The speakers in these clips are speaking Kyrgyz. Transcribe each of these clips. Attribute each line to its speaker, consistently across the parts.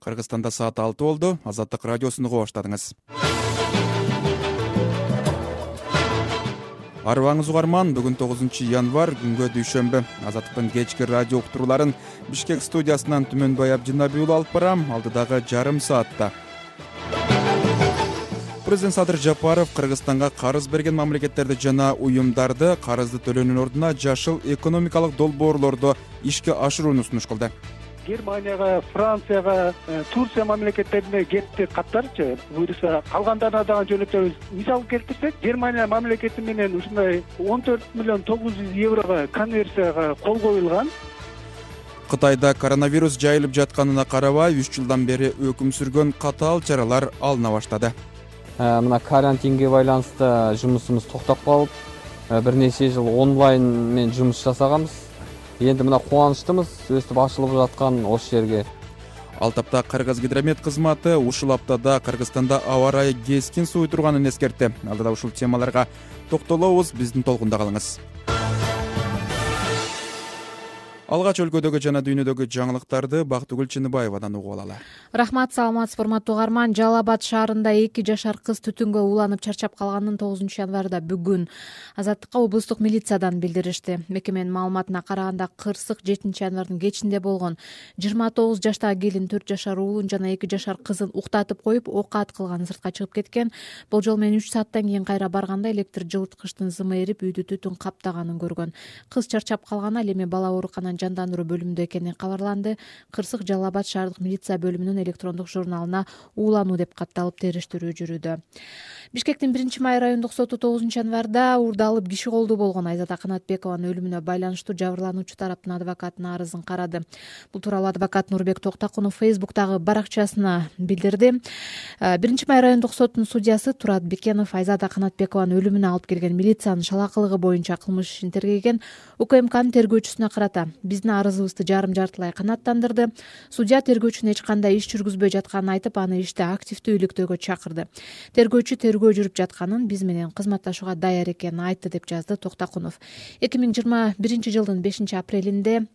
Speaker 1: Кыргызстанда саат 6 болду. Азаттык радиосун угуп баштадыңыз. Арыбаңыз угарман, бүгүн 9 январь, күнгө дүйшөмбү. Азаттыктын кечки радио уктурууларын Бишкек студиясынан Түмөнбай Абдинабий уулу алып барам, алдыдагы жарым саатта. Президент Садыр Жапаров Кыргызстанга карыз берген мамлекеттерди жана уюмдарды карызды төлөөнүн ордуна жашыл экономикалык долбоорлорду ишке ашырууну сунуш кылды.
Speaker 2: Германияга, Францияга, Турция мамлекеттерине кетти каттарчы. Буюрса калгандарына дагы жөнөтөбүз. Мисал келтирсек, Германия мамлекети менен ушундай 14 миллион 900 еврого конверсияга кол коюлган.
Speaker 1: Кытайда коронавирус жайылып жатканына карабай 3 жылдан бери өкүм сүргөн катаал чаралар алына баштады.
Speaker 3: Мына карантинге байланыштуу жумушубуз токтоп калып, бир нече жыл онлайн менен жумуш жасаганбыз. Энди мына кубанычтымыз өстүп ачылып жаткан ошол жерге.
Speaker 1: Ал тапта Кыргызгидромет кызматы ушул аптада Кыргызстанда аба ырайы кескин сууй турганын эскертти. Алдыда ушул темаларга токтолобуз, биздин толкунда калыңыз. Алгач өлкөдөгү жана дүйнөдөгү жаңылыктарды Бактыгүл Чыныбаевадан угуп алалы.
Speaker 4: Рахмат, саламатсыз урматтуу угарман. Жалал Абад шаарында 2 жашар кыз түтүнгө уланып чарчап калганын 9 январда бүгүн Азаттыкка облустук милициядан билдиришти. Мекеменин маалыматына караганда кырсык 7 январдын кечинде болгон. 29 жаштагы келин 4 жашар уулун жана 2 жашар кызын уктатып коюп, окат кылган, сыртка чыгып кеткен. Болжол менен 3 сааттан кийин кайра барганда электр жылыткычтын зымы эрип, үйдү түтүн каптаганын көргөн. Кыз чарчап калган, ал эми бала оорукананын жандандыруу бөлүмүндө экени кабарланды. Кырсык Жалал Абад шаардык милиция бөлүмүнүн электрондук журналына уулануу деп катталып териштирүү жүрүүдө. Бишкектин 1-Май райондук соту 9 январда уурдалып киши колдуу болгон Айзада Канатбекованын өлүмүнө байланыштуу жабырлануучу тараптын адвокатынын арызын карады. Бул тууралуу адвокат Нурбек Токтакунов Facebook'тагы баракчасына билдирди. 1-Май райондук сотунун судьясы Турат Бекенов Айзада Канатбекованын өлүмүнө алып келген милициянын шалакылыгы боюнча кылмыш ишин тергеген. УКМКнын тергөөчүсүнө карата биздин арызыбызды жарым-жартылай канааттандырды. Судья тергөөчүнүн эч кандай иш жүргүзбөй жатканын айтып, аны иште активдүү иликтөөгө чакырды. Тергөөчү тергөө жүрүп жатканын, биз менен кызматташууга даяр экенин айтты деп жазды Токтакунов. 2021 жылдын 5-апрелинде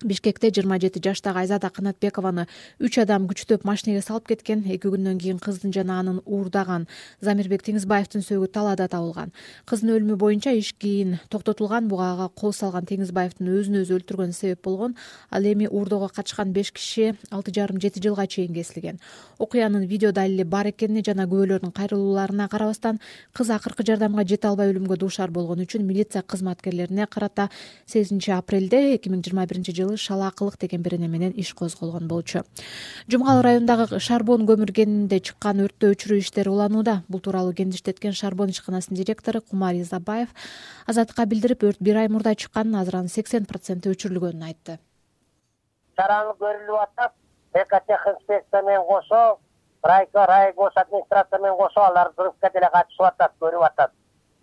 Speaker 4: Бишкекте 27 жаштагы Айзада Канатбекованы 3 адам күчтөп машинеге салып кеткен. 2 күндөн кийин кыздын жана анын уурдаган Замирбек Теңизбаевдин сөөгү талаада табылган. Кыздын өлүмү боюнча иш кийин токтотулган. Буга ага кол салган Теңизбаевдин өзүн өзү өлтүргөнү себеп болгон. Ал эми уурдоого катышкан 5 киши 6,5-7 жылга чейин кесилген. Окуянын видео далили бар экенине жана күбөлөрдүн кайрылууларына карабастан, кыз акыркы жардамга жете албай өлүмгө дуушар болгон үчүн милиция кызматкерлерине карата 8-апрелде 2021 жылы шалаакылык деген берене менен иш козголгон болчу. Жумгал районундагы Шарбон көмүр кенинде чыккан өрттү өчүрүү иштери уланууда. Бул тууралуу кеңештеткен Шарбон ишканасынын директору Кумар Изабаев Азаттыкка билдирип, өрт 1 ай мурда чыкканын, азыр анын 80% өчүрүлгөнүн айтты.
Speaker 5: Чараңыз көрүлүп атат. Экотех инспекция менен кошо, райгос администрация менен кошо алар взрывка деле катышып атат, көрүп атат.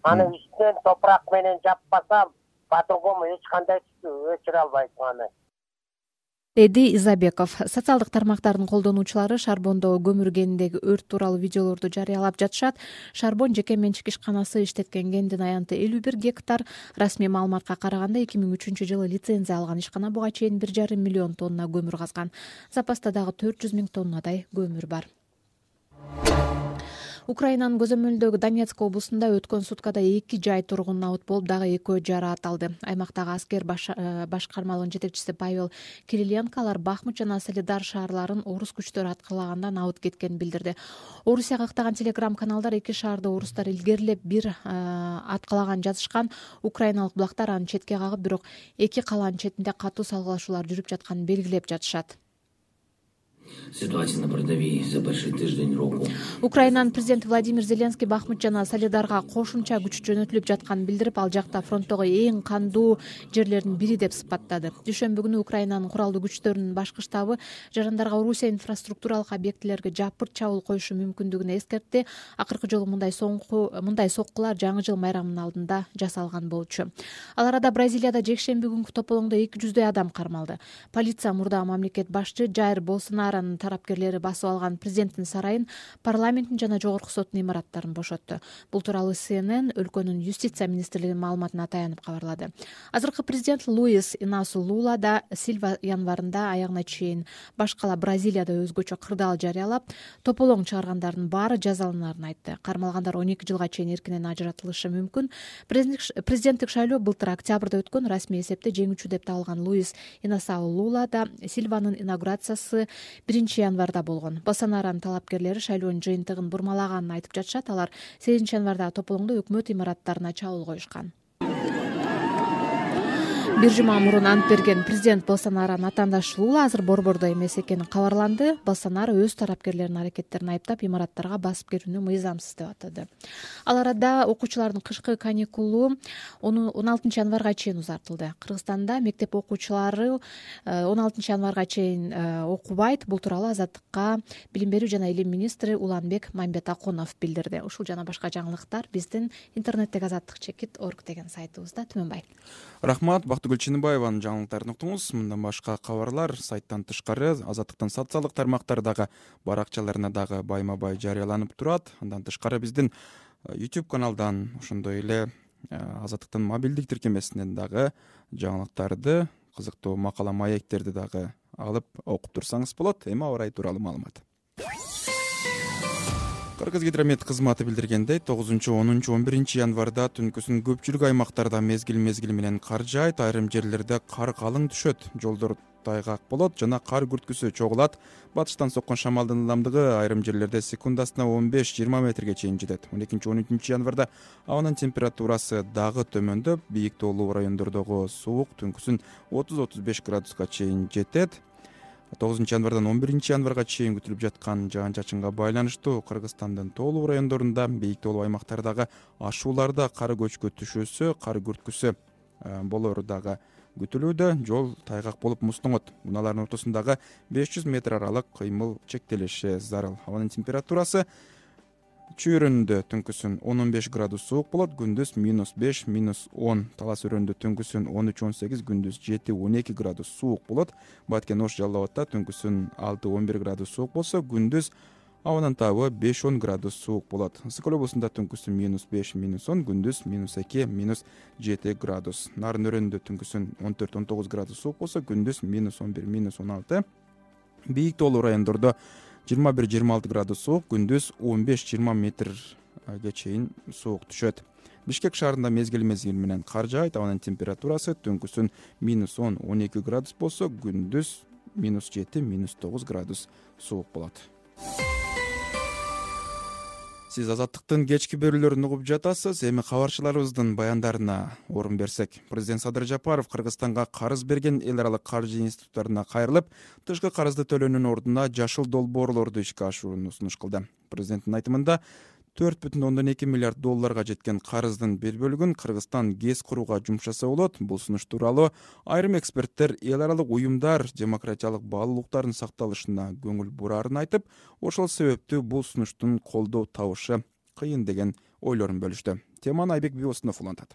Speaker 5: Аны үстүнөн топурак менен жаппасам, по-другому эч кандай өчүрө албайсың аны,
Speaker 4: деди Изабеков. Социалдык тармактардын колдонуучулары Шарбондо көмүр кениндеги өрт тууралуу видеолорду жарыялап жатышат. Шарбон жеке менчик ишканасы иштеткен кендин аянты 51 гектар. Расмий маалыматка караганда 2003 жылы лицензия алган ишкана буга чейин 1,5 миллион тонна көмүр казган. Запаста дагы 400 000 тоннадай көмүр бар. Украинанын көзөмөлүндөгү Донецк облусунда өткөн суткада 2 жай тургун абут болуп, дагы 2 жараат алды. Аймактагы аскер башкармалыгынын жетекчиси Павел Кириленко алар Бахмут жана Солидар шаарларын орус күчтөрү аткарлагандан абут кеткенин билдирди. Орусияга ыктаган телеграм-каналдар 2 шаарды орустар илгерилеп бир аткалаган жазышкан. Украиналык булактар аны четке кагып, бирок 2 калаанын четинде катуу салгылашуулар жүрүп жатканын белгилеп жатышат.
Speaker 6: Ситуация на передовій за перший тиждень року.
Speaker 4: Украинанын президенти Владимир Зеленский Бахмут жана Солидарга кошумча күч жөнөтүлүп жатканын билдирип, ал жакта фронттогу эң кандуу жерлердин бири деп сыпаттады. Дүйшөмбү күнү Украинанын куралдуу күчтөрүнүн башкы штабы жарандарга Орусия инфраструктуралык объектилерге жапырт чабуул коюшу мүмкүндүгүн эскертти. Акыркы жолу мындай соккулар жаңы жыл майрамынын алдында жасалган болчу. Ал арада Бразилияда жекшемби күнкү тополоңдо 200 адам кармалды. Полиция мурдагы мамлекет башчы Жайр Болсонаронун тарапкерлери басып алган президенттин сарайын, парламенттин жана жогорку соттун имараттарын бошотту. Бул тууралуу CNN өлкөнүн юстиция министрлигинин маалыматына таянып кабарлады. Азыркы президент Луис Инасу Лула да Силва январында аягына чейин башкала Бразилияда өзгөчө кырдаал жарыялап, тополоң чыгаргандардын баары жазаланарын айтты. Кармалгандар 12 жылга чейин эркинен ажыратылышы мүмкүн. Президенттик шайлоо былтыр октябрда өткөн. Расмий эсепте жеңүүчү деп табылган Луис Инасу Лула да Силванын инаугурациясы 1 январда болгон. Болсонаронун талапкерлери шайлоонун жыйынтыгын бурмалаганын айтып жатышат. Алар 8 январда тополоңдо өкмөт имараттарына чабуул коюшкан. Бир жума мурун ант берген президент Болсонаронун атаандаш Лула азыр борбордо эмес экени кабарланды. Болсонаро өз тарапкерлеринин аракеттерин айыптап, имараттарга басып кирүүнү мыйзамсыз деп атады. Ал арада окуучулардын кышкы каникулу 16 январга чейин узартылды. Кыргызстанда мектеп окуучулары 16 январга чейин окубайт. Бул тууралуу Азаттыкка билим берүү жана илим министри Уланбек Мамбетакунов билдирди. Ушул жана башка жаңылыктар биздин интернеттеги azattik.org деген сайтыбызда. Түмөнбай.
Speaker 1: Рахмат. Бактыгүл Чыныбаеванын жаңылыктарын уктуңуз. Мындан башка кабарлар сайттан тышкары Азаттыктын социалдык тармактардагы баракчаларына дагы байма-бай жарыяланып турат. Андан тышкары биздин YouTube каналдан, ошондой эле Азаттыктын мобилдик тиркемесинен дагы жаңылыктарды, кызыктуу макала маектерди дагы алып окуп турсаңыз болот. Эми аба ырайы тууралуу маалымат. Кыргызгидромет кызматы билдиргендей, 9-10-11 январда түнкүсүн көпчүлүк аймактарда мезгил менен кар жаайт, айрым жерлерде кар калың түшөт, жолдор тайгак болот жана кар күрткүсү чогулат. Батыштан соккон шамалдын ылдамдыгы айрым жерлерде секундасына 15-20 метрге чейин жетет. 12-13 январда абанын температурасы дагы төмөндөп, бийик тоолуу райондордогу суук түнкүсүн 30-35 градуска чейин жетет. 9 январдан 11 январга чейин күтүлүп жаткан жаан-чачынга байланыштуу Кыргызстандын тоолуу райондорунда, бийик тоолуу аймактардагы ашууларда кар көчкү түшүүсү, кар күрткүсү болору дагы күтүлүүдө. Жол тайгак болуп муздоңот. Унаалардын ортосундагы 500 метр аралык кыймыл чектелиши зарыл. Абанын температурасы чүйрөндө түнкүсүн 10-15 градус суук болот, күндүз -5, -10. Талас өрөндө түнкүсүн 13-18, күндүз 7-12 градус суук болот. Баткен Ош Жалал Абадта түнкүсүн 6-11 градус суук болсо, күндүз абанын табы 5-10 градус суук болот. Ысык көл облусунда түнкүсүн -5, -10, күндүз -2, -7 градус. Нарын өрөндө түнкүсүн 14-19 градус суук болсо, күндүз -11, -16. Бийик тоолуу райондордо 21-26 градус суук, күндүз 15-20 метрге чейин суук түшөт. Бишкек шаарында мезгил менен кар жаайт, абанын температурасы түнкүсүн -10-12 градус болсо, күндүз -7-9 градус суук болот. Сиз Азаттыктын кечки берүүлөрүн угуп жатасыз. Эми кабарчыларыбыздын баяндарына орун берсек. Президент Садыр Жапаров Кыргызстанга карыз берген эл аралык каржы институттарына кайрылып, тышкы карызды төлөөнүн ордуна жашыл долбоорлорду ишке ашырууну сунуш кылды. Президенттин айтымында $4,2 миллиард жеткен карыздын бир бөлүгүн Кыргызстан ГЭС курууга жумшаса болот. Бул сунуш тууралуу айрым эксперттер эл аралык уюмдар демократиялык баалуулуктардын сакталышына көңүл бурарын айтып, ошол себептүү бул сунуштун колдоо табышы кыйын деген ойлорун бөлүштү. Теманы Айбек Биосунов улантат.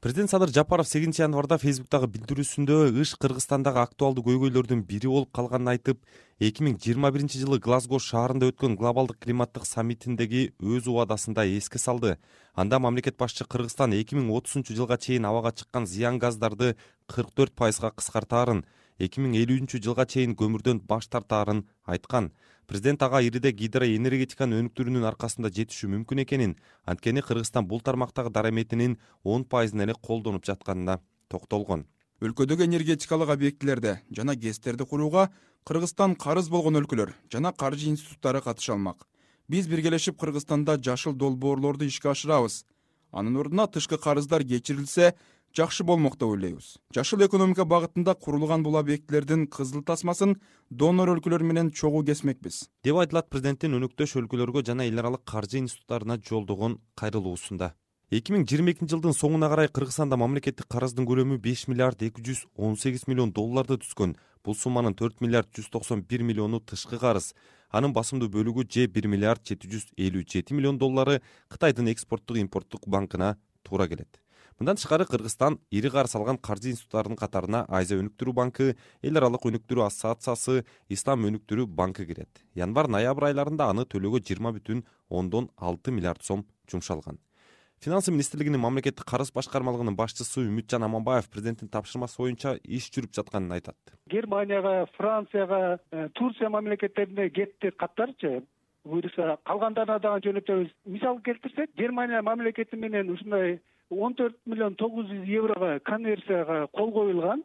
Speaker 7: Президент Садыр Жапаров 8 январда Фейсбуктагы билдирүүсүндө иш Кыргызстандагы актуалдуу көйгөйлөрдүн бири болуп калганын айтып, 2021 жылы Глазго шаарында өткөн глобалдык климаттык саммитиндеги өз убадасында эске салды. Анда мамлекет башчы Кыргызстан 2030 жылга чейин абага чыккан зыян газдарды 44% кыскартаарын, 2050 жылга чейин көмүрдөн баш тартаарын айткан. Президент ага ириде гидроэнергетиканын өнүктүрүүнүн аркасында жетишүү мүмкүн экенин, анткени Кыргызстан бул тармактагы дараметинин 10% эле колдонуп жатканына токтолгон.
Speaker 1: Өлкөдөгү энергетикалык объектилерде жана ГЭСтерди курууга Кыргызстан карыз болгон өлкөлөр жана каржы институттары катыша алмак. Биз биргелешип Кыргызстанда жашыл долбоорлорду ишке ашырабыз. Анын ордуна тышкы карыздар кечирилсе жакшы болмок деп ойлойбуз. Жашыл экономика багытында курулган бул объектилердин кызыл тасмасын донор өлкөлөр менен чогуу кесмекпиз,
Speaker 7: деп айтылат президенттин өнөктөш өлкөлөргө жана эл аралык каржы институттарына жолдогон кайрылуусунда. 2022 жылдын соңуна карай Кыргызстанда мамлекеттик карыздын көлөмү $5 миллиард 218 миллион түшкөн. Бул сумманын $4 миллиард 191 миллиону тышкы карыз. Анын басымдуу бөлүгү же $1 миллиард 757 миллион Кытайдын экспорттук импорттук банкына туура келет. Мындан тышкары Кыргызстан ири кар салган каржы институттарынын катарына Азия өнүктүрүү банкы, Эл аралык өнүктүрүү ассоциациясы, Ислам өнүктүрүү банкы кирет. Январь-ноябрь айларында аны төлөөгө 20,6 миллиард сом жумшалган. Финансы министрлигинин мамлекеттик карыз башкармалыгынын башчысы Үмүтжан Аманбаев президенттин тапшырмасы боюнча иш жүрүп жатканын айтат.
Speaker 2: Германияга, Францияга, Турция мамлекеттерине кетти каттарчы. Буюрса калгандарына дагы жөнөтөбүз. Мисал келтирсек, Германия мамлекети менен ушундай 14 миллион 900 еврого конверсияга кол коюлган.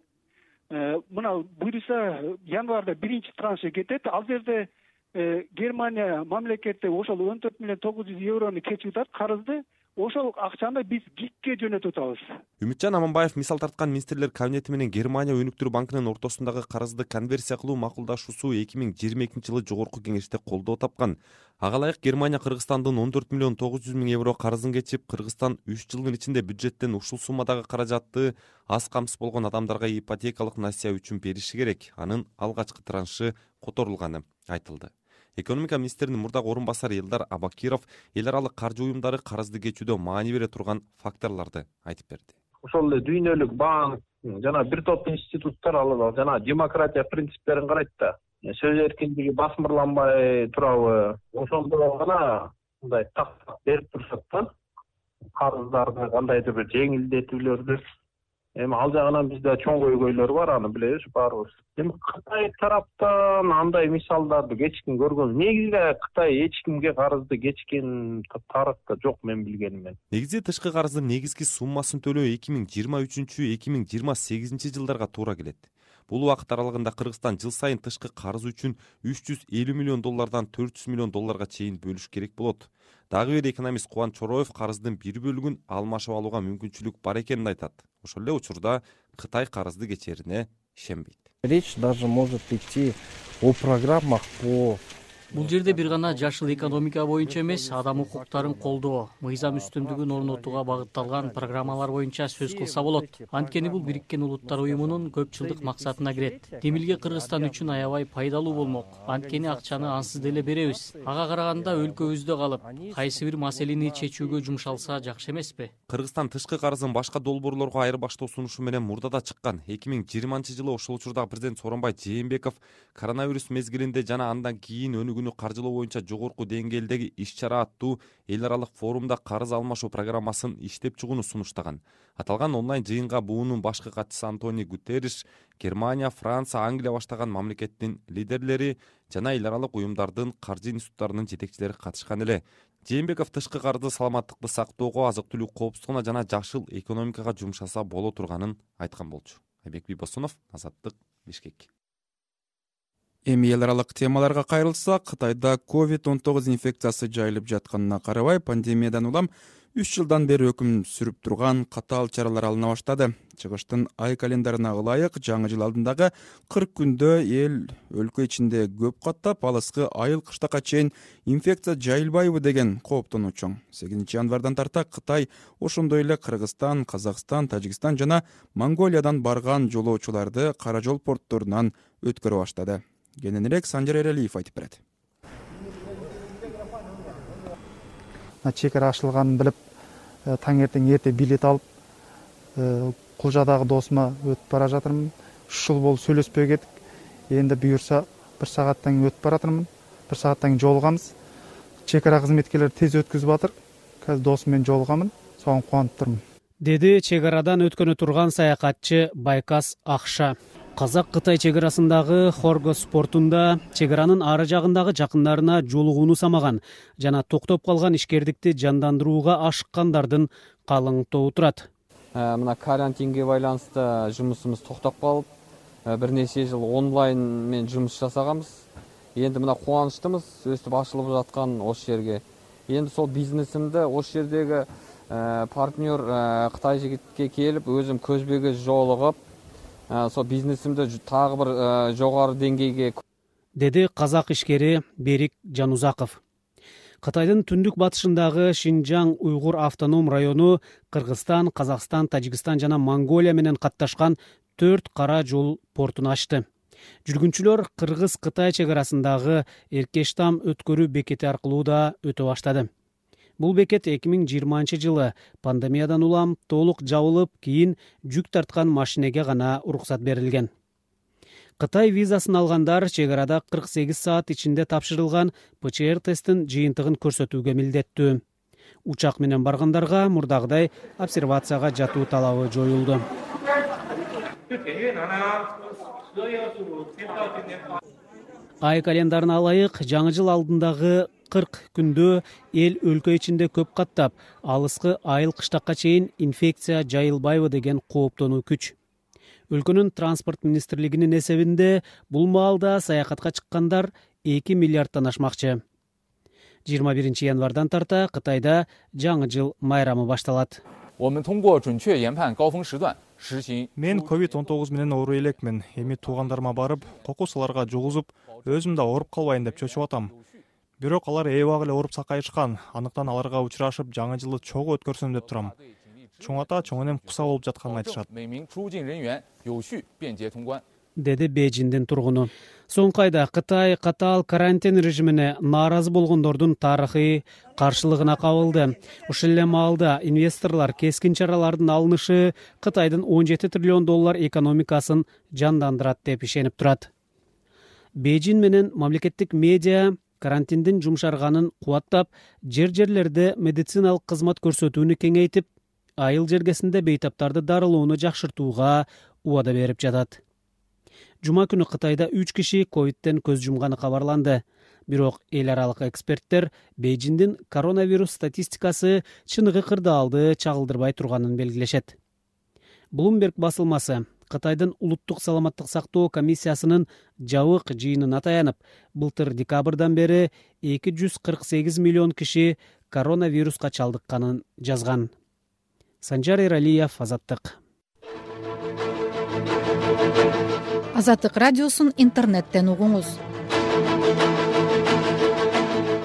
Speaker 2: Мына буюрса январда биринчи траншы кетет. Ал жерде Германия мамлекети ошол 14 миллион 900 еврону кечип атат карызды. Ошол акчаны биз ГИКке жөнөтүп атабыз.
Speaker 7: Үмүтжан Аманбаев мисал тарткан министрлер кабинети менен Германия өнүктүрүү банкынын ортосундагы карызды конверсия кылуу макулдашуусу 2022 жылы жогорку кеңеште колдоо тапкан. Ага ылайык Германия Кыргызстандын 14 миллион 900 миң евро карызын кечип, Кыргызстан 3 жылдын ичинде бюджеттен ушул суммадагы каражатты аз камсыз болгон адамдарга ипотекалык насыя үчүн бериши керек. Анын алгачкы траншы которулганы айтылды. Экономика министринин мурдагы орун басары Элдар Абакиров эл аралык каржы уюмдары карызды кечүүдө маани бере турган факторлорду айтып берди.
Speaker 8: Ошол эле дүйнөлүк банк жана бир топ институттар алар жана демократия принциптерин карайт да. Сөз эркиндиги басмырланбай турабы, ошондо гана мындай так берип турушат да. Карыздарды кандайдыр бир жеңилдетүүлөрдү. Эми ал жагынан бизде чоң көйгөйлөр бар, аны билебиз баарыбыз. Эми Кытай тараптан андай мисалдарды кечкен көргөн. Негизинде Кытай эч кимге карызды кечкен тарыхта жок мен билгенимен.
Speaker 7: Негизи тышкы карыздын негизги суммасын төлөө 2023-2028 жылдарга туура келет. Бул убакыт аралыгында Кыргызстан жыл сайын тышкы карыз үчүн 350 миллион доллардан 400 миллион долларга чейин бөлүш керек болот. Дагы бир экономист Кубан Чороев карыздын бир бөлүгүн алмашып алууга мүмкүнчүлүк бар экенин айтат. Ошол эле учурда Кытай карызды кечерине ишенбейт.
Speaker 9: Речь даже может идти о программах по...
Speaker 10: Бул жерде бир гана жашыл экономика боюнча эмес, адам укуктарын колдоо, мыйзам үстүмдүгүн орнотууга багытталган программалар боюнча сөз кылса болот. Анткени бул Бириккен Улуттар уюмунун көп жылдык максатына кирет. Демилге Кыргызстан үчүн аябай пайдалуу болмок. Анткени акчаны ансыз деле беребиз. Ага караганда өлкөбүздө калып, кайсы бир маселени чечүүгө жумшалса жакшы эмеспи?
Speaker 7: Кыргызстан тышкы карызын башка долбоорлорго айырбаштоо сунушу менен мурда да чыккан. 2020 жылы ошол учурдагы президент Сооронбай Жээнбеков коронавирус мезгилинде жана андан кийин өнүгүүнү каржылоо боюнча жогорку деңгээлдеги иш-чара аттуу эл аралык форумда карыз алмашуу программасын иштеп чыгууну сунуштаган. Аталган онлайн жыйынга буунун башкы катчысы Антонио Гутерриш, Германия, Франция, Англия баштаган мамлекеттин лидерлери жана эл аралык уюмдардын каржы институттарынын жетекчилери катышкан эле. Жээнбеков тышкы карызды саламаттыкты сактоого, азык-түлүк коопсуздугуна жана жашыл экономикага жумшаса боло турганын айткан болчу. Айбек Бибосунов, Азаттык, Бишкек.
Speaker 1: Эми эл аралык темаларга кайрылсак, Кытайда COVID-19 инфекциясы жайылып жатканына карабай, пандемиядан улам 3 жылдан бери өкүм сүрүп турган катаал чаралар алына баштады. Чыгыштын ай календарына ылайык жаңы жыл алдындагы 40 күндө эл өлкө ичинде көп каттап, алыскы айыл кыштакка чейин инфекция жайылбайбы деген кооптону чоң. 8 январдан тарта Кытай ошондой эле Кыргызстан, Казакстан, Тажикстан жана Монголиядан барган жолоочуларды кара жол портторунан өткөрө баштады. Кененирээк Санжар Эралиев айтып берет.
Speaker 11: Чек ара ачылганын билип, таң эрте билет алып, Кулжадагы досума өтүп бара жатырмын. 3 жыл болуп сүйлөшпөй кеттик. Энди буюрса 1 сааттан өтүп баратырмын. 1 сааттан жолугамыз. Чек ара кызметкерлери тез өткүзүп атыр. Казыр досум менен жолугамын. Согун кубанып турмун.
Speaker 12: Деди чек арадан өткөнү турган саякатчы Байкас Акша. Казак-Кытай чек арасындагы Хоргос портунда чек аранын ары жагындагы жакындарына жолугууну самаган жана токтоп калган ишкердикти жандандырууга ашыккандардын калың тобу турат.
Speaker 3: Мына карантинге байланыштуу жумушубуз токтоп калып, бир нече жыл онлайн менен жумуш жасаганбыз. Энди мына кубанычтымыз өстүп ачылып жаткан ошол жерге. Энди сол бизнесимди ошол жердеги партнер Кытай жигитке келип, өзүм көзбө-көз жолугуп, сол бизнесимди тагы бир жогору деңгейге,
Speaker 12: деди казак ишкери Берик Жанузаков. Кытайдын түндүк батышындагы Шинжаң уйгур автоном району Кыргызстан, Казакстан, Тажикстан жана Монголия менен катташкан 4 кара жол портун ачты. Жүргүнчүлөр Кыргыз-Кытай чек арасындагы Эркештам өткөрүү бекети аркылуу да өтө баштады. Бул бекет 2020-жылы пандемиядан улам толук жабылып, кийин жүк тарткан машинеге гана уруксат берилген. Кытай визасын алгандар чек арада 48 саат ичинде тапшырылган ПЧР тесттин жыйынтыгын көрсөтүүгө милдеттүү. Учак менен баргандарга мурдагыдай обсервацияга жатуу талабы жоюлду. Ай календарына алайык, жаңы жыл алдындагы 40 күндө эл өлкө ичинде көп каттап, алыскы айыл кыштакка чейин инфекция жайылбайбы деген кооптонуу күч. Өлкөнүн транспорт министрлигинин эсебинде бул маалда саякатка чыккандар 2 миллиардтан ашмакчы. 21 январдан тарта Кытайда жаңы жыл майрамы башталат.
Speaker 13: Мен COVID-19 менен оору элекмин. Эми туугандарыма барып, кокусаларга жугузуп, өзүм да ооруп калбайын деп чөчүп атам. Бирок алар эбак эле ооруп сакайышкан. Андыктан аларга учурашып, жаңы жылды чогуу өткөрсөм деп турам. Чоң ата, чоң энем куса болуп жатканын айтышат.
Speaker 12: Деди Бейжиңдин тургуну. Соңку айда Кытай катаал карантин режимине нааразы болгондордун тарыхый каршылыгына кабылды. Ошол эле маалда инвесторлор кескин чаралардын алынышы Кытайдын $17 триллион экономикасын жандандырат деп ишенип турат. Бейжиң менен мамлекеттик медиа карантиндин жумшарганын кубаттап, жерлерде медициналык кызмат көрсөтүүнү кеңейтип, айыл жергесинде бейтаптарды дарылоону жакшыртууга убада берип жатат. Жума күнү Кытайда 3 киши ковидтен көз жумганы кабарланды. Бирок эл аралык эксперттер Бейжиңдин коронавирус статистикасы чыныгы кырдаалды чагылдырбай турганын белгилешет. Bloomberg басылмасы Кытайдын улуттук саламаттык сактоо комиссиясынын жабык жыйынына таянып, былтыр декабрдан бери 248 миллион киши коронавируска чалдыкканын жазган. Санжар Эралиев, Азаттык.
Speaker 14: Азаттык радиосун интернеттен угуңуз.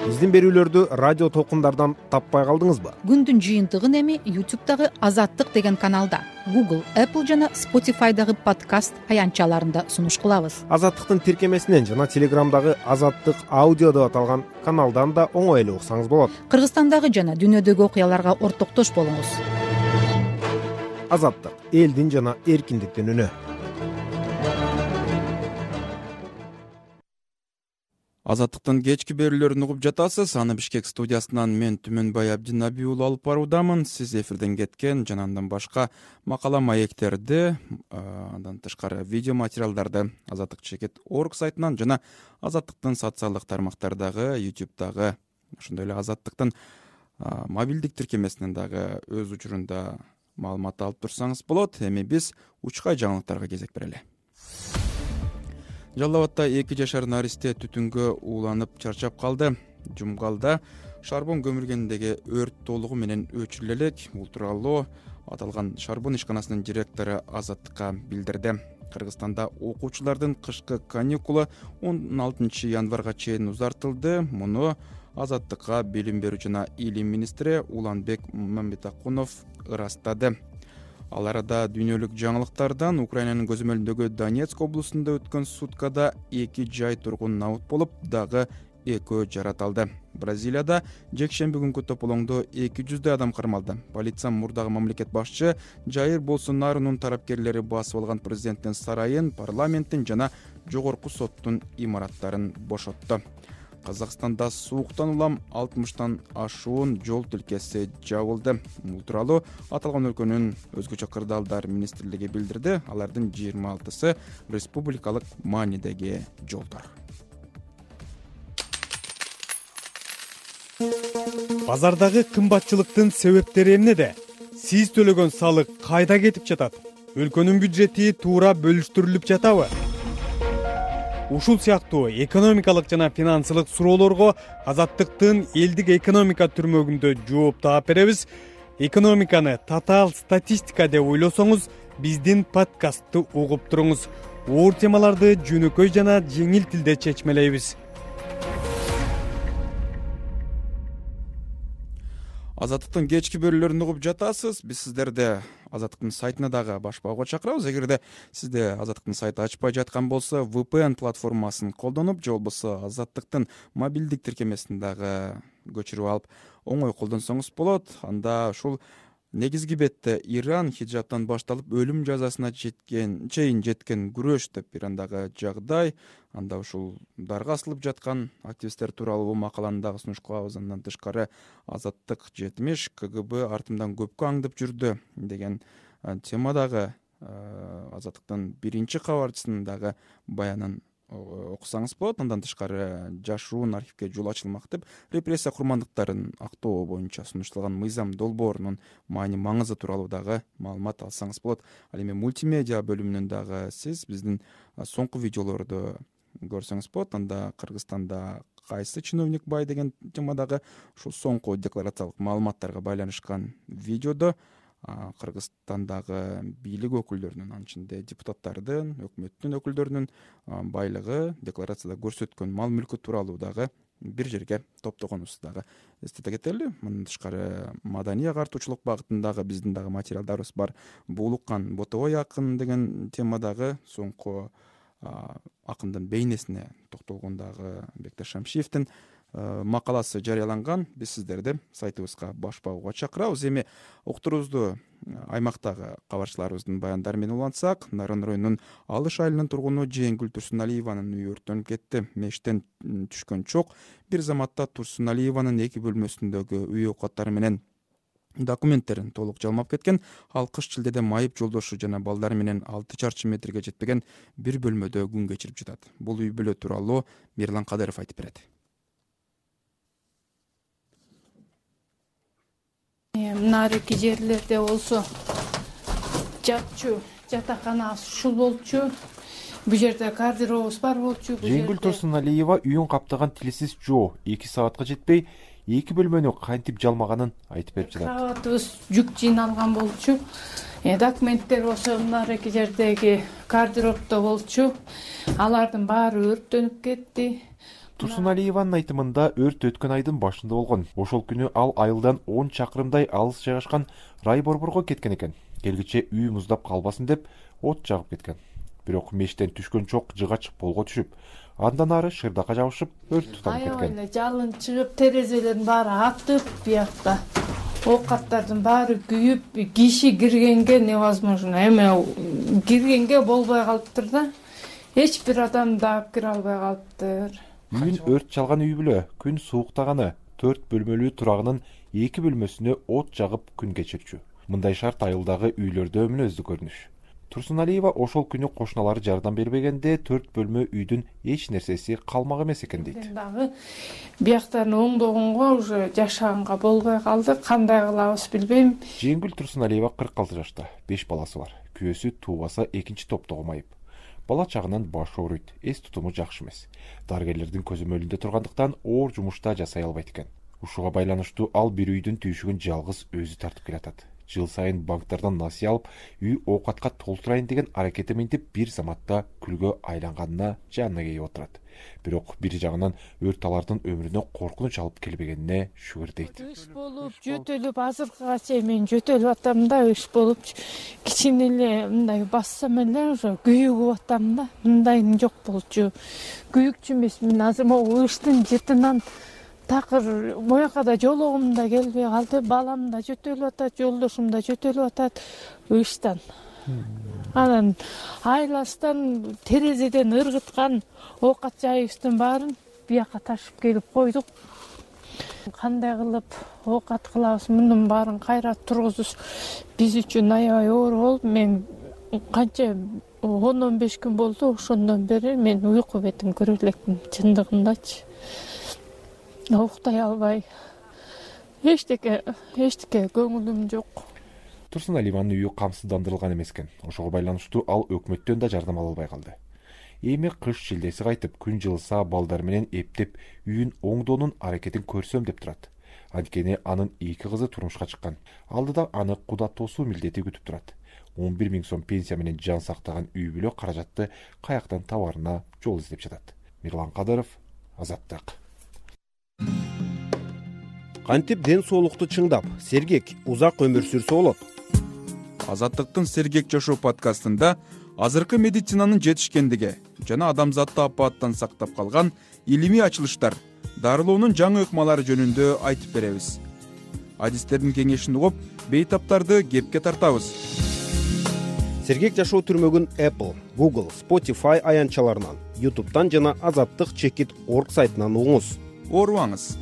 Speaker 9: Биздин берүүлөрдү радио толкундардан таппай калдыңызбы?
Speaker 14: Күндүн жыйынтыгын эми YouTube'дагы Азаттык деген каналда, Google, Apple жана Spotify'дагы подкаст аянтчаларында сунуш кылабыз.
Speaker 9: Азаттыктын тиркемесинен жана Телеграмдагы Азаттык аудио деп аталган каналдан да оңой эле уксаңыз болот.
Speaker 14: Кыргызстандагы жана дүйнөдөгү окуяларга ортоктош болуңуз.
Speaker 9: Азаттык — элдин жана эркиндиктин үнү.
Speaker 1: Азаттыктын кечки берүүлөрүн угуп жатасыз. Аны Бишкек студиясынан мен Түмөнбай Абдинаби уулу алып баруудамын. Сиз эфирден кеткен жана андан башка макала маектерди, андан тышкары видео материалдарды azattik.org сайтынан жана Азаттыктын социалдык тармактардагы, YouTube'дагы, ошондой эле Азаттыктын мобилдик тиркемесинен дагы өз учурунда маалымат алып турсаңыз болот. Эми биз учкай жаңылыктарга кезек берели. Жалал Абадта 2 жашар наристе түтүнгө ууланып чарчап калды. Жумгалда шарбон көмүлгендеги өрт толугу менен өчүрүлө элек. Бул тууралуу аталган шарбон ишканасынын директору Азаттыкка билдирди. Кыргызстанда окуучулардын кышкы каникулы 16 январга чейин узартылды. Муну Азаттыкка билим берүү жана илим министри Уланбек Мамбетакунов ырастады. Ал арада дүйнөлүк жаңылыктардан Украинанын көзөмөлүндөгү Донецк облусунда өткөн суткада 2 жай тургун набыт болуп, дагы 2 жараталды. Бразилияда жекшемби күнкү тополоңдо 200 адам кармалды. Полиция мурдагы мамлекет башчы Жаир Болсонарунун тарапкерлери басып алган президенттин сарайын, парламенттин жана жогорку соттун имараттарын бошотту. Казакстанда сууктан улам 60тан ашуун жол тилкеси жабылды. Бул тууралуу аталган өлкөнүн өзгөчө кырдаалдар министрлиги билдирди. Алардын 26сы республикалык маанидеги жолдор.
Speaker 13: Базардагы кымбатчылыктын себептери эмнеде? Сиз төлөгөн салык кайда кетип жатат? Өлкөнүн бюджети туура бөлүштүрүлүп жатабы? Ушул сыяктуу экономикалык жана финансылык суроолорго Азаттыктын элдик экономика түрмөгүндө жооп таап беребиз. Экономиканы татаал статистика деп ойлосоңуз, биздин подкастты угуп туруңуз. Оор темаларды жөнөкөй жана жеңил тилде чечмелейбиз.
Speaker 1: Азаттыктын кечки берүүлөрүн угуп жатасыз. Биз сиздерди Азаттыктын сайтына дагы башпауга чакырабыз. Эгерде сизде Азаттыктын сайты ачпай жаткан болсо, VPN платформасын колдонуп, же болбосо Азаттыктын мобилдик тиркемесин дагы көчүрүп алып оңой колдонсоңуз болот. Анда ушул негизги бетте Иран хиджабтан башталып өлүм жазасына чейин жеткен күрөш деп Ирандагы жагдай, анда ушул дарга асылып жаткан активисттер тууралуу бул макаланы дагы сунуш кылабыз. Андан тышкары Азаттык 70 КГБ артымдан көпкө аңдып жүрдү деген темадагы Азаттыктын биринчи кабарчысынын дагы баянын окусаңыз болот. Андан тышкары жашыруун архивге жол ачылмак деп репрессия курмандыктарын актоо боюнча сунушталган Мыйзам долбоорунун маани маңызы тууралуу дагы маалымат алсаңыз болот. Ал эми мультимедиа бөлүмүнөн дагы сиз биздин соңку видеолорду көрсөңүз болот. Анда Кыргызстанда кайсы чиновник бай деген темадагы ушул соңку декларациялык маалыматтарга байланышкан видеодо Кыргызстандагы бийлик өкүлдөрүнүн, анын ичинде депутаттардын, өкмөттүн өкүлдөрүнүн байлыгы, декларацияда көрсөткөн мал мүлкү тууралуу дагы бир жерге топтогонубузду дагы эстете кетели. Мындан тышкары маданий агартуучулук багытындагы биздин дагы материалдарыбыз бар. Буулуккан ботобой акын деген темадагы соңку акындын бейнесине токтолгондагы Бектеш Шамшиевдин макаласы жарыяланган. Биз сиздерди сайтыбызга баш багууга чакырабыз. Эми уктуруубузду аймактагы кабарчыларыбыздын баяндары менен улантсак, Нарын районунун Алыш айылынын тургуну Жээнгүл Турсуналиеванын үйү өрттөнүп кетти. Мештен түшкөн чок бир заматта Турсуналиеванын 2 бөлмөсүндөгү үй оокаттары менен документтерин толук жалмап кеткен. Ал кыш чилдеде майып жолдошу жана балдары менен 6 чарчы метрге жетпеген бир бөлмөдө күн кечирип жатат. Бул үй бүлө тууралуу Мирлан Кадыров айтып берет.
Speaker 15: Нарики жерлерде болсо жатчу, жатаканабыз ушул болчу. Бул жерде гардеробубуз бар болчу.
Speaker 16: Жээнгүл Турсуналиева үйүн каптаган тилсиз жоо 2 саатка жетпей 2 бөлмөнү кантип жалмаганын айтып берип жатат.
Speaker 15: Кроватыбыз жүк жыйналган болчу. Документтер болсо нарики жердеги гардеробдо болчу. Алардын баары өрттөнүп кетти.
Speaker 16: Турсуналиеванын айтымында өрт өткөн айдын башында болгон. Ошол күнү ал айылдан 10 чакырымдай алыс жайгашкан Райборборго кеткен экен. Келгиче үй муздап калбасын деп от жагып кеткен. Бирок мештен түшкөн чок жыгач полго түшүп, андан ары шырдака жабышып өрт туталып кеткен.
Speaker 15: Аябай эле жалын чыгып, терезелердин баары атып, биякта оокаттардын баары күйүп, киши киргенге невозможно. Эми киргенге болбой калыптыр да. Эч бир адам да кире албай калыптыр.
Speaker 16: Үйүн өрт чалган үй бүлө күн сууктаганы 4 бөлмөлүү турагынын 2 бөлмөсүнө от жагып күн кечирчү. Мындай шарт айылдагы үйлөрдө мүнөздүү көрүнүш. Турсуналиева ошол күнү кошуналары жардам бербегенде 4 бөлмө үйдүн эч нерсеси калмак эмес экен дейт.
Speaker 15: Дагы бияктарын оңдогонго уже жашаганга болбой калды. Кандай кылабыз билбейм.
Speaker 16: Жээнгүл Турсуналиева 46 жашта, 5 баласы бар. Күйөөсү туубаса 2-чи топтогу майып. Бала чагынан баш ооруйт, эс тутуму жакшы эмес. Дарыгерлердин көзөмөлүндө тургандыктан оор жумушта жасай албайт экен. Ушуга байланыштуу ал бир үйдүн түйшүгүн жалгыз өзү тартып келатат. Жыл сайын банктардан насыя алып, үй оокатка толтурайын деген аракети минтип бир заматта күлгө айланганына жанына кейип отурат. Бирок бир жагынан өрт алардын өмүрүнө коркунуч алып келбегенине шүгүр дейт.
Speaker 15: Иш болуп, жөтөлүп, азыркыга чейин мен жөтөлүп атам да, иш болуп, кичине эле мындай бассам эле уже күйүгүп атам да. Мындайым жок болчу. Күйүкчү эмесмин, азыр могу ыштын жытынан такыр мояка да жологум да келбей калды. Балам да жөтөлүп атат, жолдошум да жөтөлүп атат ыштан. Анан айластан терезеден ыргыткан оокат жайыбыздын баарын бияка ташып келип койдук. Кандай кылып оокат кылабыз, мунун баарын кайра тургузуш биз үчүн аябай оор болуп, мен канча 10-15 күн болду, ошондон бери мен уйку бетин көрө элекмин чындыгындачы. Уктай албай. Эчтеке көңүлүм жок.
Speaker 16: Турсуналиеванын үйү камсыздандырылган эмес экен. Ошого байланыштуу ал өкмөттөн да жардам ала албай калды. Эми кыш шилдеси кайтып, күн жылыса балдар менен эптеп үйүн оңдоонун аракетин көрсөм деп турат. Анткени анын 2 кызы турмушка чыккан. Алдыда аны куда тосуу милдети күтүп турат. 11 000 сом пенсия менен жан сактаган үй бүлө каражатты каяктан табарына жол издеп жатат. Мирлан Кадыров, Азаттык.
Speaker 9: Кантип ден соолукту чыңдап, сергек, узак өмүр сүрсө болот?
Speaker 1: Азаттыктын Сергек жашоо подкастында азыркы медицинанын жетишкендиги жана адамзатты апааттан сактап калган илимий ачылыштар, дарылоонун жаңы ыкмалары жөнүндө айтып беребиз. Адистердин кеңешин угуп, бейтаптарды кепке тартабыз.
Speaker 9: Сергек жашоо түрмөгүн Apple, Google, Spotify аянтчаларынан, YouTube'дан жана azattik.org сайтынан угуңуз.
Speaker 1: Оорубаңыз.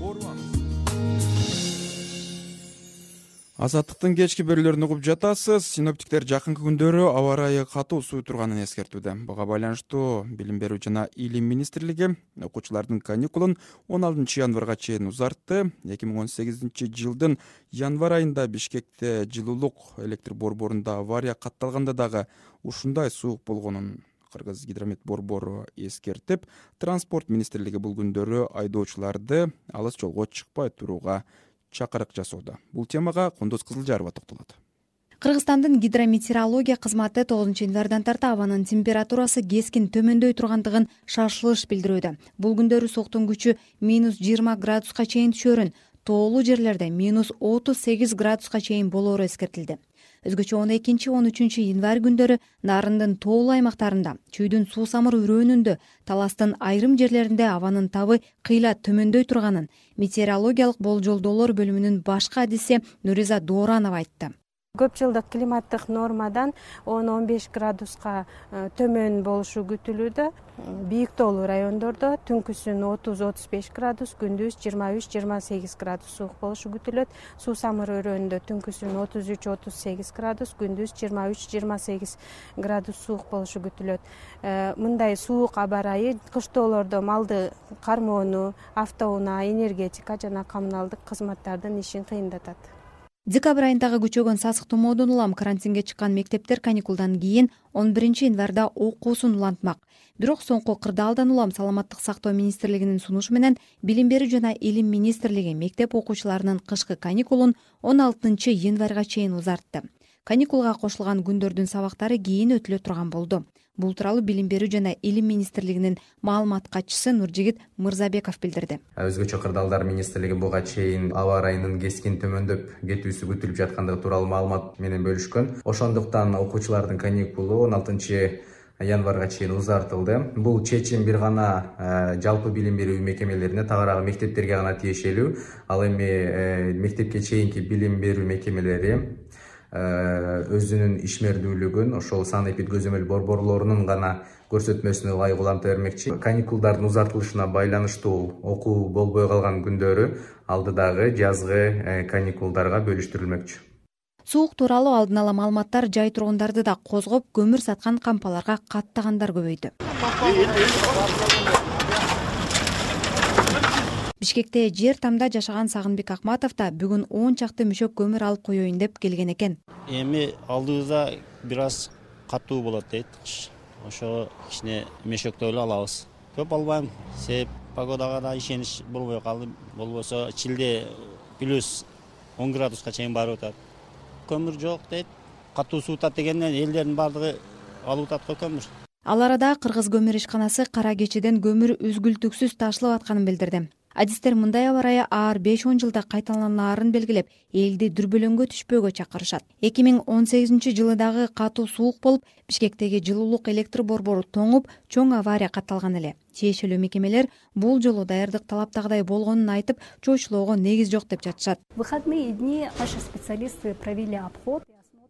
Speaker 1: Азаттыктын кечки берүүлөрүн угуп жатасыз. Синоптиктер жакынкы күндөрү аба ырайы катуу сууй турганын эскертүүдө. Буга байланыштуу Билим берүү жана Илим министрлиги окуучулардын каникулун 16 январга чейин узартты. 2018 жылдын январь айында Бишкекте жылуулук электр борборунда авария катталганда дагы ушундай суук болгонун Кыргыз гидромет борбору эскертип, транспорт министрлиги бул күндөрү айдоочуларды алыс жолго чыкпай турууга чакырык жасоодо. Бул темага Кундуз Кызылжарова токтолот.
Speaker 17: Кыргызстандын гидрометеорология кызматы 9 январдан тарта абанын температурасы кескин төмөндөй тургандыгын шашылыш билдирүүдө. Бул күндөрү сууктун күчү -20 градуска чейин түшөрүн, тоолуу жерлерде -38 градуска чейин болоору эскертилди. Өзгөчө 12-13 январь күндөрү Нарындын тоолуу аймактарында, Чүйдүн суусамыр өрөөнүндө, Таластын айрым жерлеринде абанын табы кыйла төмөндөй турганын метеорологиялык болжолдоолор бөлүмүнүн башкы адиси Нуриза Дооранова айтты.
Speaker 18: Көп жылдык климаттык нормадан 10-15 градуска төмөн болушу күтүлүүдө. Бийик тоолуу райондордо түнкүсүн 30-35 градус, күндүз 23-28 градус суук болушу күтүлөт. Суусамыр өрөөнүндө түнкүсүн 33-38 градус, күндүз 23-28 градус суук болушу күтүлөт. Мындай суук аба ырайы кыштоолордо малды кармоону, автоунаа, энергетика жана коммуналдык кызматтардын ишин кыйындатат.
Speaker 17: Декабрь айындагы күчөгөн сасык тумоодон улам карантинге чыккан мектептер каникулдан кийин 11 январда окуусун улантмак. Бирок соңку кырдаалдан улам Саламаттык сактоо министрлигинин сунушу менен Билим берүү жана Илим министрлиги мектеп окуучуларынын кышкы каникулун 16 январга чейин узартты. Каникулга кошулган күндөрдүн сабактары кийин өтүлө турган болду. Бул тууралуу Билим берүү жана Илим министрлигинин маалымат катчысы Нуржигит Мырзабеков билдирди.
Speaker 19: Өзгөчө кырдаалдар министрлиги буга чейин аба ырайынын кескин төмөндөп кетүүсү күтүлүп жаткандыгы тууралуу маалымат менен бөлүшкөн. Ошондуктан окуучулардын каникулу 16 январга чейин узартылды. Бул чечим бир гана жалпы билим берүү мекемелерине, тагыраагы мектептерге гана тиешелүү. Ал эми мектепке чейинки билим берүү мекемелери өзүнүн ишмердүүлүгүн ошол санэпид көзөмөл борборлорунун гана көрсөтмөсүнө ылайык уланта бермекчи. Каникулдардын узартылышына байланыштуу окуу болбой калган күндөрү алдыдагы жазгы каникулдарга бөлүштүрүлмөкчү.
Speaker 17: Суук тууралуу алдын ала маалыматтар жай тургундарды да козгоп, көмүр саткан кампаларга каттагандар көбөйдү. Бишкекте жер тамда жашаган Сагынбек Акматов да бүгүн 10 чакты мүшөк көмүр алып коеюн деп келген экен.
Speaker 20: Эми алдыбызда бир аз катуу болот дейт. Ошо кичине мешөктө эле алабыз. Көп албайм. Себеп погодага да ишенич болбой калды. Болбосо чилде плюс 10 градуска чейин барып атат. Көмүр жок дейт. Катуу суутат дегенден элдердин бардыгы алып атат го көмүр.
Speaker 17: Ал арада Кыргыз көмүр ишканасы кара кечеден көмүр үзгүлтүксүз ташылып атканын билдирди. Адистер мындай аба ырайы ар 5-10 жылда кайталанаарын белгилеп, элди дүрбөлөңгө түшпөөгө чакырышат. 2018 жылы дагы катуу суук болуп, Бишкектеги жылуулук электр борбору тоңуп, чоң авария катталган эле. Тиешелүү мекемелер бул жолу даярдык талаптагыдай болгонун айтып, чоочулоого негиз жок деп жатышат.
Speaker 21: Выходные дни наши специалисты провели обход.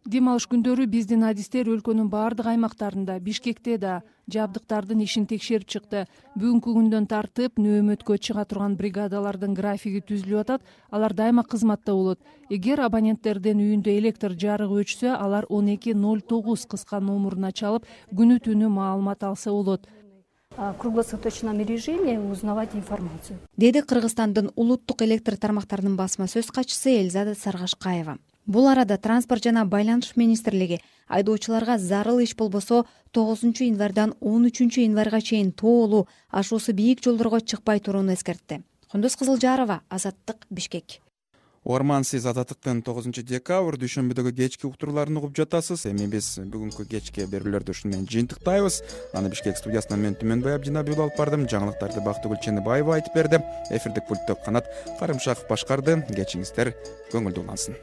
Speaker 22: Дем алыш күндөрү биздин адистер өлкөнүн баардык аймактарында, Бишкекте да жабдыктардын ишин текшерип чыкты. Бүгүнкү күндөн тартып нөөмөткө чыга турган бригадалардын графиги түзүлүп атат. Алар дайыма кызматта болот. Эгер абоненттердин үйүндө электр жарыгы өчсө, алар 1209 кыска номуруна чалып, күнү түнү маалымат алса болот.
Speaker 21: В круглосуточном режиме узнавать информацию.
Speaker 17: Деди Кыргызстандын улуттук электр тармактарынын басма сөз катчысы Элзада Саргашкаева. Бул арада транспорт жана байланыш министрлиги айдоочуларга зарыл иш болбосо 9 январдан 13 январга чейин тоолуу, ашуусу бийик жолдорго чыкпай турууну эскертти. Кундуз Кызылжарова, Азаттык, Бишкек.
Speaker 1: Угарман, сиз Азаттыктын 9 декабрь дүйшөмбүдөгү кечки уктурууларын угуп жатасыз. Эми биз бүгүнкү кечки берүүлөрдү ушун менен жыйынтыктайбыз. Аны Бишкек студиясынан мен Түмөнбай Абдинабиулов алып бардым. Жаңылыктарды Бактыгүл Ченебаева айтып берди. Эфирдик пультту Канат Карымшаков башкарды. Кечиңиздер көңүлдүү улансын.